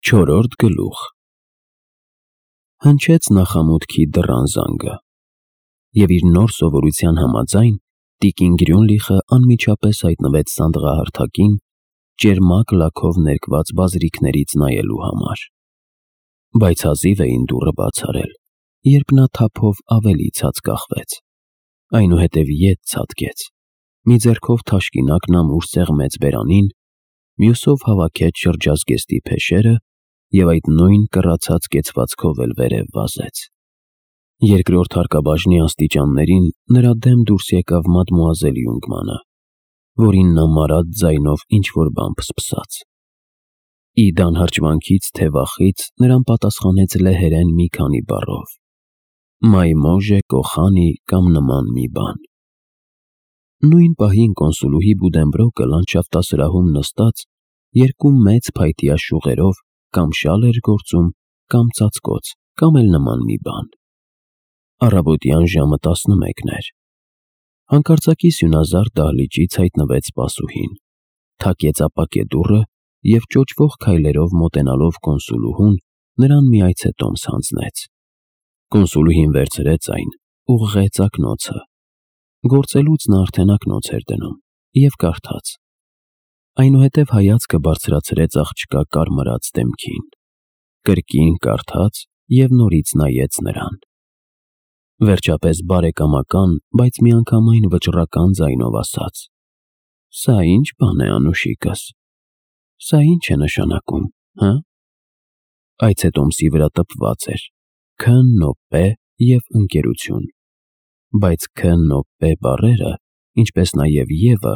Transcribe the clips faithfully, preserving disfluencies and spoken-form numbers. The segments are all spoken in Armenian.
Չորրորդ գլուխ Հնչեց նախամուտքի դռան զանգը, և իր նոր սովորության համաձայն տիկին Գրյունլիխը անմիջապես հայտնվեց սանդղահարթակին, ճերմակ լաքով ներկված բազրիքներից նայելու համար, բայց հազիվ էին դուռը բաց արել, երբ նա թափով ավելի ցած կախվեց, այնուհետև ետ ցատկեց, մի ձեռքով թաշկինակն ամուր սեղմեց բերանին, մյուսով հավաքեց շրջազգեստի փեշերը և այդ նույն կռացած կեցվածքով էլ վերև վազեց։ Երկրորդ հարկաբաժնի աստիճաններին նրա դեմ դուրս եկավ մադմուազել Յունգմանը, որին նա մարած ձայնով ինչ-որ բան փսփսաց։ Ի դանհարճվանքից թե վախից նրան պատասխանեց լեհերեն մի քանի բառով. «Մայմոժե կոխանի» կամ նման մի բան։ Նույն պահին կոնսուլուհի Բուդենբրոկը լանդշաֆտասրահում նստած երկու մեծ փայտյա շյուղերով կամ շալ էր գործում, կամ ծածկոց, կամ էլ նման մի բան։ Առավոտյան ժամը տասնմեկն էր։ Հանկարծակի սյունազարդ դահլիճից հայտնվեց սպասուհին, թակեց ապակե դուռը և ճոճվող քայլերով մոտենալով կոնսուլուհուն նրան մի այցետոմս հանձնեց։ Կոնսուլուհին վերցրեց այն, ուղղեց ակնոցը։ Գործելուց նա արդեն ակնոց էր դնում և կարդաց։ Այնուհետև հայացքը բարձրացրեց աղջկա կարմրած դեմքին, կրկին կարդաց և նորից նայեց նրան։ Վերջապես բարեկամական, բայց միանգամայն վճռական ձայնով ասաց. «Սա ի՞նչ բան է, անուշիկս, սա ի՞նչ է նշանակում, հը»։ Այցետոմսի վրա տպված էր K N O P և ընկերություն, բայց K N O P բառերը, ինչպես նաև Ե-ը,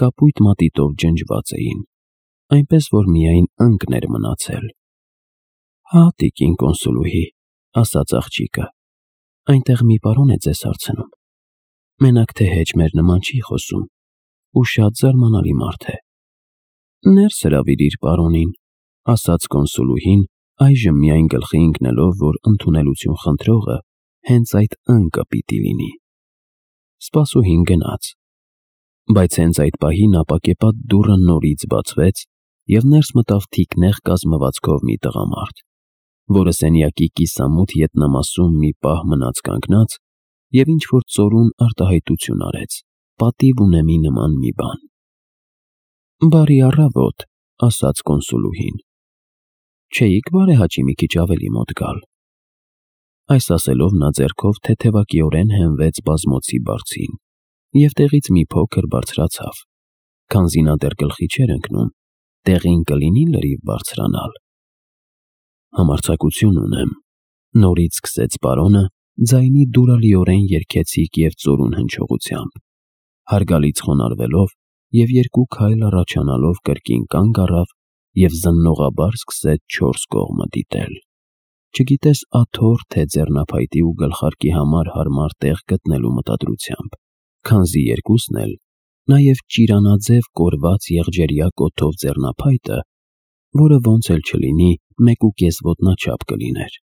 կապույտ մատիտով ջնջված էին, այնպես որ միայն ընկն էր մնացել։ «Հա, տիկին կոնսուլուհի», ասաց աղջիկը, «այնտեղ մի պարոն է ձեզ հարցնում, մենակ թե հեչ մեր նման չի խոսում ու շատ զարմանալի մարդ է»։ «Ներս հրավիրիր պարոնին», ասաց կոնսուլուհին, այժմ միայն գլխի ընկնելով, որ ընդունելություն խնդրողը հենց այդ ընկը պիտի լինի։ Սպասուհին գնաց, բայց հենց այդ պահին ապակեպատ դուռը նորից բացվեց, և ներս մտավ թիկնեղ կազմվածքով մի տղամարդ, որը սենյակի կիսամութ ետնամասում մի պահ մնաց կանգնած և ինչ-որ ծորուն արտահայտություն արեց, պատիվ ունեմի նման մի բան։ «Բարի առավոտ», ասաց կոնսուլուհին, «չէի՞ք բարեհաճի մի քիչ ավելի մոտ գալ»։ Այս ասելով նա ձեռքով թեթևակիորեն հենվեց բազմոցի բարձին և տեղից մի փոքր բարձրացավ, քանզի նա դեռ գլխի չէր ընկնում, տեղին կլինի՞ լրիվ բարձրանալ։ «Համարձակություն ունեմ», նորից սկսեց պարոնը, ձայնի դուրալիորեն երգեցիկ և ծորուն հնչողությամբ, հարգալից խոնարհվելով և երկու քայլ առաջանալով կրկին կանգ առավ և զննողաբար սկսեց չորս կողմը դիտել, չգիտես աթոռ թե ձեռնափայտի ու գլխարկի համար հարմար տեղ գտնելու մտադրությամբ, քանզի երկուսն էլ, նաև ճիրանաձև կորված եղջերյա կոթով ձեռնափայտը, որը ոնց էլ չլինի մեկուկես ոտնաչափ կլիներ,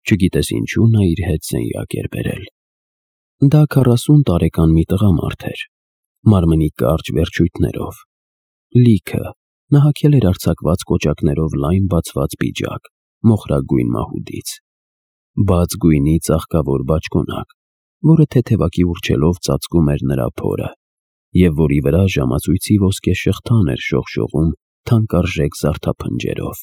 չգիտես ինչու նա իր հետ սենյակ էր բերել։ Դա քառասուն տարեկան մի տղամարդ էր, մարմնի կարճ վերջույթներով, լիքը, նա հագել էր արձակված կոճակներով լայն բացված պիջակ, մոխրագույն մահուդից, բաց գույնի ծաղկավոր բաճկոնակ, որը թեթևակի ուռչելով ծածկում էր նրա փորը, և որի վրա ժամացույցի ոսկե շղթան էր շողշողում թանկարժեք զարդափնջերով,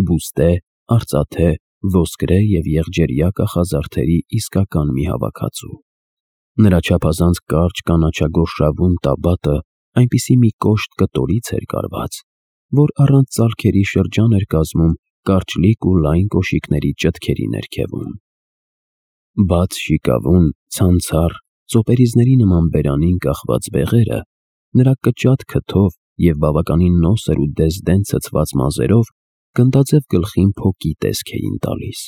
բուստե, արծաթե, ոսկրե և եղջերյա կախազարդերի իսկական մի հավաքածու։ Նրա չափազանց կարճ կանաչագորշավուն տաբատը այնպիսի մի կոշտ կտորից էր կարված, որ առանց ծալքերի շրջան էր կազմում կարճլիկ ու լայն կոշիկների ճտքերի ներքևում։ Բաց շիկավուն, ցանցառ, ծոպերիզների նման բերանին կախված բեղերը նրա կճատ քթով և բավականին նոսր ու դեզդեն ցցված մազերով գնդաձև գլխին փոկի տեսք էին տալիս։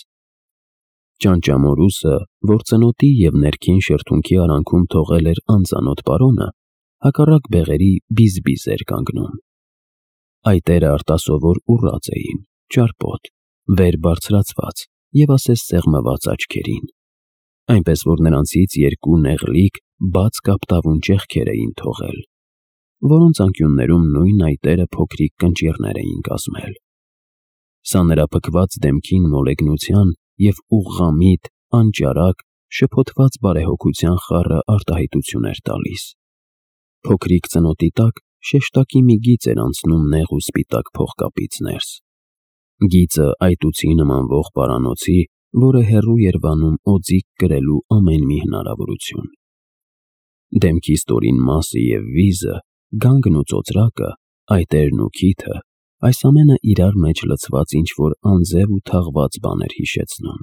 Ճանճամորուսը, որ ծնոտի և ներքին շրթունքի արանքում թողել էր անծանոթ պարոնը, հակառակ բեղերի բիզ-բիզ էր կանգնում։ Այտերը արտասովոր ուռած էին, ճարպոտ, վեր բարձրացված և ասես սեղմված աչքերին, այնպես որ նրանցից երկու նեղլիկ, բաց կապտավուն ճեղքեր էին թողել, որոնց անկյուններում նույն այտերը փոքրիկ կնճիռներ էին կազմել։ Սա նրա փքված դեմքին մոլեգնության և ուղղամիտ, անճարակ, շփոթված բարեհոգության խառը արտահայտություն էր տալիս։ Փոքրիկ ծնոտի տակ շեշտակի մի գիծ էր անցնում նեղ ու սպիտակ փողկապից ներս։ Գիծը այտուցի նմանվող պարանոցի, որը հեռու էր վանում օձիք կրելու ամեն մի հնարավորություն։ Դեմքի ստորին մասը և վիզը, գանգն ու ծոծրակը, այտերն ու քիթը, այս ամենը իրար մեջ լցված ինչ-որ անձև ու թաղված բան էր հիշեցնում։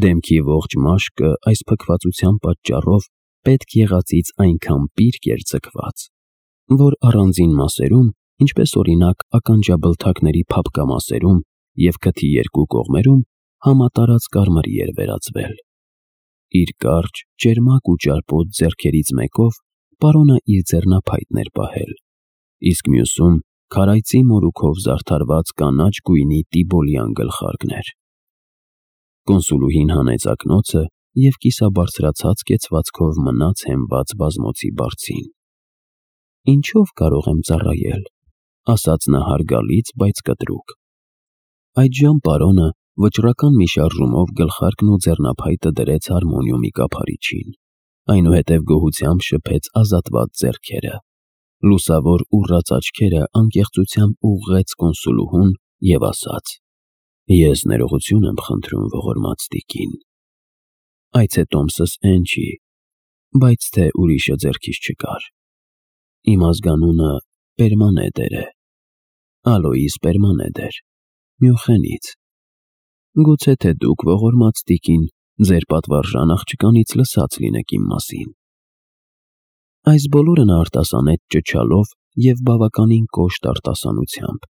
Դեմքի ողջ մաշկը այս փքվածության պատճառով պետք եղածից այնքան պիրկ էր ձգված, որ առանձին մասերում, ինչպես օրինակ ականջաբլթակների փափկամասերում և քթի երկու կողմերում, համատարած կարմրի էր վերածվել։ Իր կարճ, ճերմակ ու ճարպոտ ձեռքերից մեկով պարոնը իր ձեռնափայտն էր պահել, իսկ մյուսում քարայծի մորուքով զարդարված կանաչ գույնի տիբոլյան գլխարկներ։ Կոնսուլուհին հանեց ակնոցը և կիսաբարձրացած կեցվածքով մնաց հենված բազմոցի բարձին։ «Ինչով կարող եմ ծառայել», ասաց նա հարգալից, բայց կտրուկ։ Այդժամ պարոնը վճռական մի շարժումով գլխարկն ու ձեռնափայտը դրեց հարմոնիումի կափարիչին, այնուհետև գոհությամբ շփեց ազատված ձեռքերը։ Լուսավոր ուռած աչքերը անկեղծությամբ ուղղեց կոնսուլուհուն և ասաց. «Ես ներողություն եմ խնդրում, ողորմած տիկին։ Այցե տոմսս էն չի, բայց թե ուրիշը ձեռքիս չկար։ Իմ ազգանունը Պերմանեդեր է, Ալոիս Պերմանեդեր, Մյունխենից։ Գուցե թե դուք, ողորմած տիկին, ձեր պատվարժան աղջկանից լսած լինեք իմ մասին»։ Այս բոլորը նա արտասանեց ճչալով և բավականին կոշտ արտասանությամբ,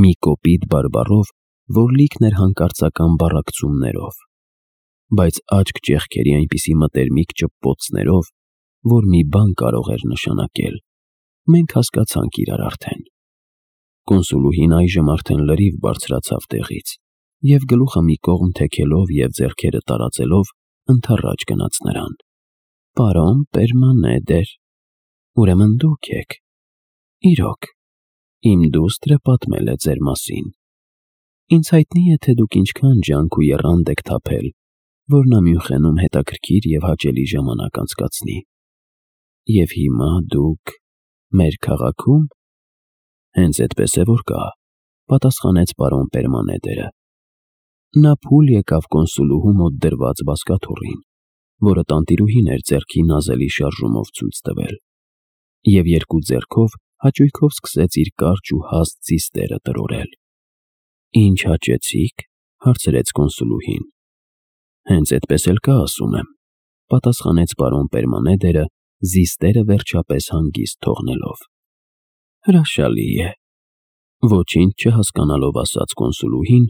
մի կոպիտ բարբառով, որ լիքն էր հանկարծական բառակցումներով, բայց աչք ճեղքերի այնպիսի մտերմիկ ճպպոցներով, որ մի բան կարող էր նշանակել։ Մենք հասկացանք իրար արդեն։ Կոնսուլուհին այժմ արդեն լրիվ բարձրացավ տեղից և գլուխը մի կողմ թեքելով և ձեռքերը տարածելով ընդառաջ գնաց նրան։ «Պարոն Պերմանեդեր, ուրեմն դուք եք։ Իրոք, իմ դուստրը պատմել է ձեր մասին։ Ինձ հայտնի է, թե դուք ինչքան ջանք ու եռանդ եք թափել, որ նա Մյունխենում հետաքրքիր և հաճելի ժամանակ անցկացնի։ Եվ հիմա դուք մեր քաղաքի՞ում»։ «Հենց էդպես է որ կա», պատասխանեց պարոն Պերմանեդերը։ Նա փուլ եկավ կոնսուլուհու մոտ դրված բազկաթոռին, որը տանտիրուհին էր ձեռքի նազելի շարժումով ցույց տվել, և երկու ձեռքով հաճույքով սկսեց իր կարճ ու հաստ ձիստերը տրորել։ «Ինչ հաճեցիք», հարցրեց կոնսուլուհին։ «Հենց էդպես էլ կա, ասում եմ», պատասխանեց պարոն Պերմանեդերը, զիստերը վերջապես հանգիստ թողնելով։ «Հրաշալի է», ոչինչ չհասկանալով ասաց կոնսուլուհին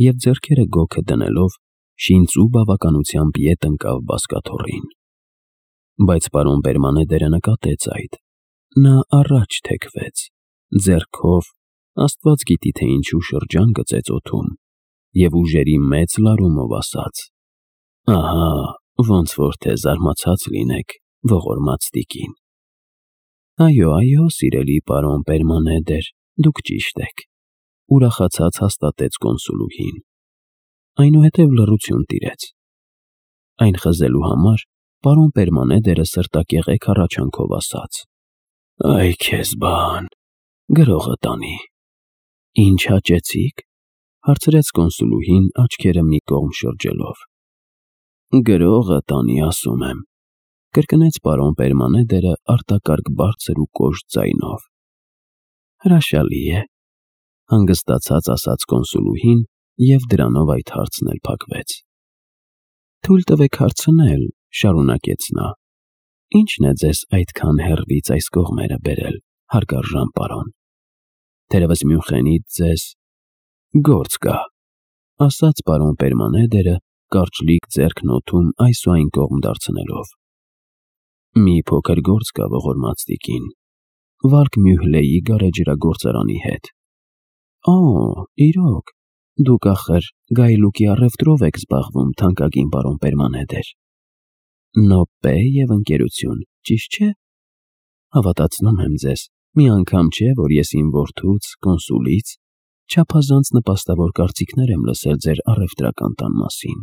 և ձեռքերը գոգը դնելով շինծու բավականությամբ ետ ընկավ բազկաթոռին։ Բայց պարոն Պերմանեդերը նկատեց այդ։ Նա առաջ թեքվեց, ձեռքով, աստված գիտի, թե ինչու շրջան գծեց օդում, և ուժերի մեծ լարումով ասաց. «Ահա, ոնց որ թե զարմացած լինեք, ողորմած տիկին»։ «Այո, այո, սիրելի պարոն Պերմանեդեր, դուք ճիշտ եք», ուրախացած հաստատեց կոնսուլուհին։ Այնուհետև լռություն տիրեց։ Այն խզելու համար պարոն Պերմանեդերը սրտակեղեք հառաչանքով ասաց. «Այ քեզ բան, գրողը տանի»։ «Ինչ հաճեցիք», հարցրեց կոնսուլուհին աչքերը մի կողմ շրջելով։ «Գրողը տանի, ասում եմ», կրկնեց պարոն Պերմանեդերը արտակարգ բարձր ու կոշտ ձայնով։ «Հրաշալի է», հանգստացած ասաց կոնսուլուհին և դրանով այդ հարցն էլ փակվեց։ «Թույլ տվեք հարցնել», շարունակեց նա. «Ի՞նչն է ձեզ այդքան հեռվից այս կողմերը բերել, հարգարժան պարոն։ Թերևս Մյունխենից ձեզ գործ կա», ասաց պարոն Պերմանեդերը, կարճլիկ ձեռքն օդում այս ու այն կողմ դարձնելով։ «Մի փոքր գործ կա, ողորմած տիկին, Վալկ Մյուհլեի գարեջրագործարանի հետ»։ «Օ, իրոք, դուք ախր գայլուկի առևտրով եք զբաղվում, թանկագին պարոն Պերմանեդեր։ Նոպպե և ընկերություն, ճիշտ չէ։ Հավատացնում եմ ձեզ, մի անգամ չէ, որ ես իմ որդուց, կոնսուլից, Չափազանց նպաստավոր կարծիքներ եմ լսել ձեր առևտրական տան մասին,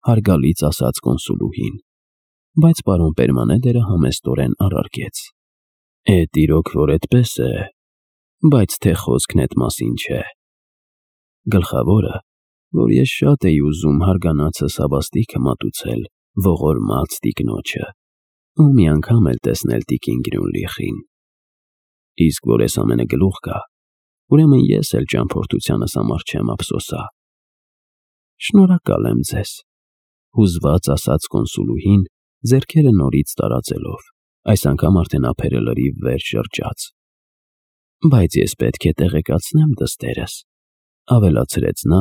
հարգալից ասաց կոնսուլուհին, բայց պարոն Պերմանեդերը համեստորեն առարկեց. Էդ իրոք որ այդպես է, բայց թե խոսքն էդ մասին չէ։ Գլխավորը, որ ես շատ էի ուզում հարգանացս հավաստիքը մատուցել ողորմած տիկնոջը, ու մի անգամ էլ տեսնել տիկին Գրյունլիխին։ Իսկ որ ես ամենը գլուխ գա, ուրեմն ես էլ ճամփորդությանս համար չեմ ափսոսա։ Շնորհակալ եմ ձեզ, հուզված ասաց կոնսուլուհին, ձեռքերը նորից տարածելով, այս անգամ արդեն ափերը լրիվ վեր շրջած։ Բայց ես պետք է տեղեկացնեմ դստերս, ավելացրեց նա,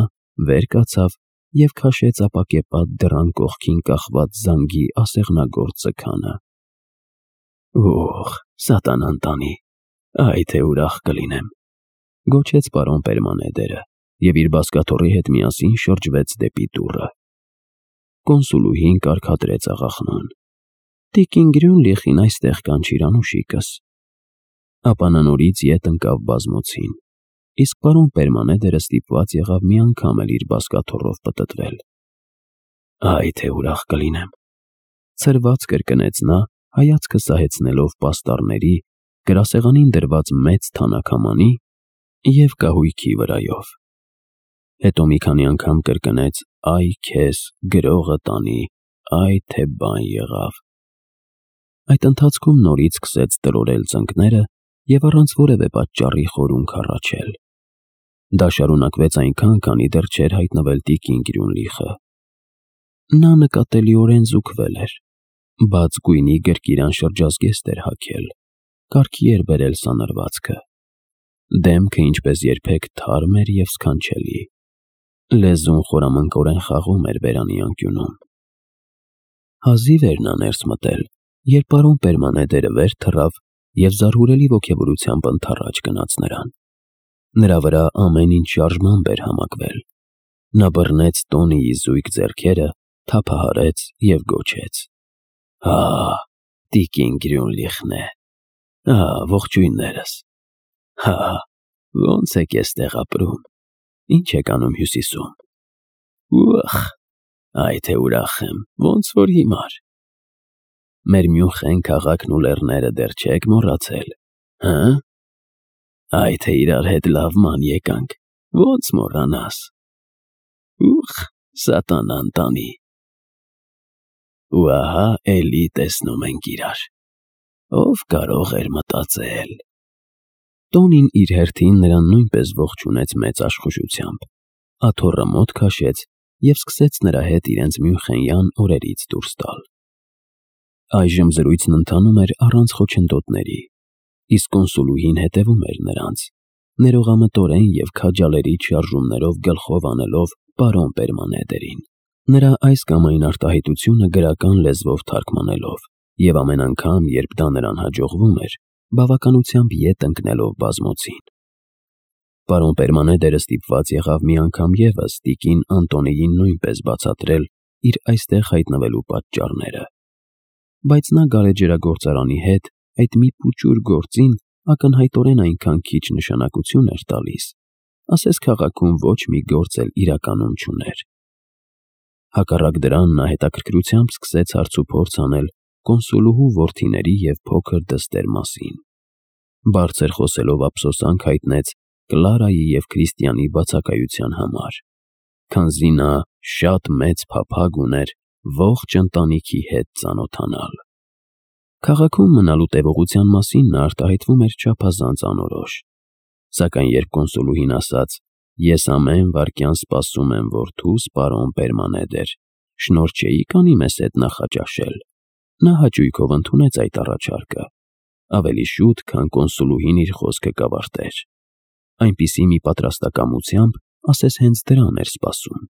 վեր կացավ և քաշեց ապակեպատ դռան կողքին կախված զանգի ասեղնագործ ձգանը։ Ուխ, սատանան տանի, այ թե ուրախ կլինեմ, գոչեց պարոն Պերմանեդերը և իր բազկաթոռի հետ միասին շրջվեց դեպի դուռը։ Կոնսուլուհին կարգադրեց աղախնուն. Տիկին Գրյունլիխին այստեղ կանչիր անուշիկս։ Ապա նա նորից ետ ընկավ բազմոցին, իսկ պարոն Պերմանեդերը ստիպված եղավ մի անգամ էլ իր բազկաթոռով պտտվել։ Այ թե ուրախ կլինեմ, ցրված կրկնեց նա, հայացքը սահեցնելով պաստառների, գրասեղանին դրված մեծ թանաքամանի և կահույքի վրայով։ Հետո մի քանի անգամ կրկնեց այ քեզ գրողը տանի, այ թե բան եղավ։ Այդ ընթացքում նորից սկսեց տրորել ծնկները և առանց որևէ պատճառի խորունգ հառաչել։ Դա շարունակվեց այնքան, քանի դեռ չէր հայտնվել տիկին Գրյունլիխը։ Նա նկատելիորեն զուգվել էր, բաց գույնի գրկիրան շրջազգեստ էր հագել, կարգի էր բերել սանրվածքը։ Դեմքը ինչպես երբեք թարմ էր և սքանչելի։ Լեզուն խորամանկորեն խաղում էր բերանի անկյունում։ Հազիվ էր նա ներս մտել, երբ պարոն Պերմանեդերը վեր թռավ և զարհուրելի ոգևորությամբ ընդառաջ գնաց նրան։ Նրա վրա ամեն ինչ շարժմամբ էր համակվել։ Նա բռնեց Տոնիի զույգ ձեռքերը, թափահարեց և գոչեց. Հա, տիկին Գրյունլիխն է։ Հա, ողջույններս։ Հա, ո՞նց եք էստեղ ապրում, ինչ եք անում Հյուսիսում։ Ուխ, այ թե ուրախ եմ, ոնց որ հիմար։ Մեր Մյունխեն քաղաքն ու լեռները դեռ չեք մոռացել, հը՞։ Այ թե իրար հետ լավ ման եկանք, ոնց մոռանաս։ Ուխ, սատանան տանի։ Ու ահա էլի տեսնում ենք իրար։ Ով կարող էր մտածել։ Տոնին իր հերթին նրան նույնպես ողջունեց մեծ աշխուժությամբ, աթոռը մոտ քաշեց և սկսեց նրա հետ իրենց մյունխենյան օրերից դուրս տալ։ Այժմ զրույցն ընթանում էր առանց խոչընդոտների, իսկ կոնսուլուհին հետևում էր նրանց, ներողամտորեն և քաջալերիչ շարժումներով գլխով անելով պարոն Պերմանեդերին, նրա այս կամ այն արտահայտությունը գրական լեզվով թարգմանելով և ամեն անգամ, երբ դա նրան հաջողվում էր, բավականությամբ ետ ընկնելով բազմոցին։ Պարոն Պերմանեդերը ստիպված եղավ մի անգամ ևս տիկին Անտոնիին նույնպես բացատրել իր այստեղ հայտնվելու պատճառները։ Բայց նա գարեջրագործարանի հետ այդ մի փուչուր գործին ակնհայտորեն այնքան քիչ նշանակություն էր տալիս, ասես քաղաքում ոչ մի գործ էլ իրականում չուներ։ Հակառակ դրան նա հետաքրքրությամբ սկսեց հարցուփորձ անել կոնսուլուհու որդիների և փոքր դստեր մասին։ Բարձր խոսելով ափսոսանք հայտնեց Կլարայի և Քրիստիանի բացակայության համար, քանզի նա շատ մեծ փափագ ուներ ողջ ընտանիքի հետ ծանոթանալ։ Քաղաքում մնալու տևողության մասին նա արտահայտվում էր չափազանց անորոշ, սակայն երբ կոնսուլուհին ասաց. «Ես ամեն վայրկյան սպասում եմ որդուս, պարոն Պերմանեդեր, շնորհ չէի՞ք անի մեզ հետ նախաճաշել», նա հաճույքով ընդունեց այդ առաջարկը, ավելի շուտ, քան կոնսուլուհին իր խոսքը կավարտեր։ Այնպիսի մի պատրաստակամությամբ, ասես հենց դրան էր սպասում։